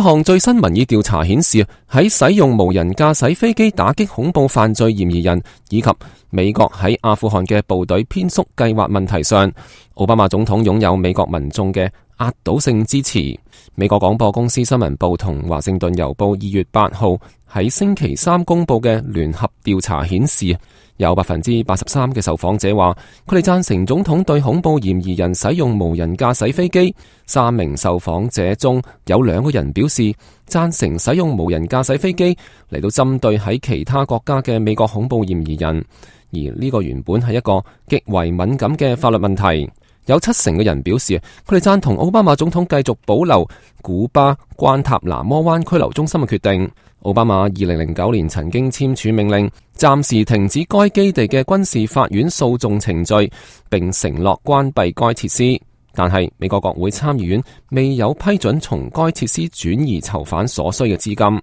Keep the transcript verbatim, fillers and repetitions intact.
項最新民意調查顯示，喺使用無人駕駛飛機打擊恐怖犯罪嫌疑人，以及美國喺阿富汗嘅部隊編縮計劃問題上，奧巴馬總統擁有美國民眾嘅壓倒性支持。美國廣播公司新聞部同華盛頓郵報二月八號喺星期三公布嘅聯合調查顯示，有百分之八十三嘅受訪者話佢哋贊成總統對恐怖嫌疑人使用無人駕駛飛機。三名受訪者中有兩個人表示贊成使用無人駕駛飛機嚟到針對喺其他國家嘅美國恐怖嫌疑人，而呢個原本係一個極為敏感嘅法律問題。有七成嘅人表示佢哋贊同奧巴馬總統繼續保留古巴關塔那摩灣拘留中心嘅決定。奧巴馬二零零九年曾經簽署命令，暫時停止該基地嘅軍事法院訴訟程序，並承諾關閉該設施。但係美國國會參議院未有批准從該設施轉移囚犯所需嘅資金。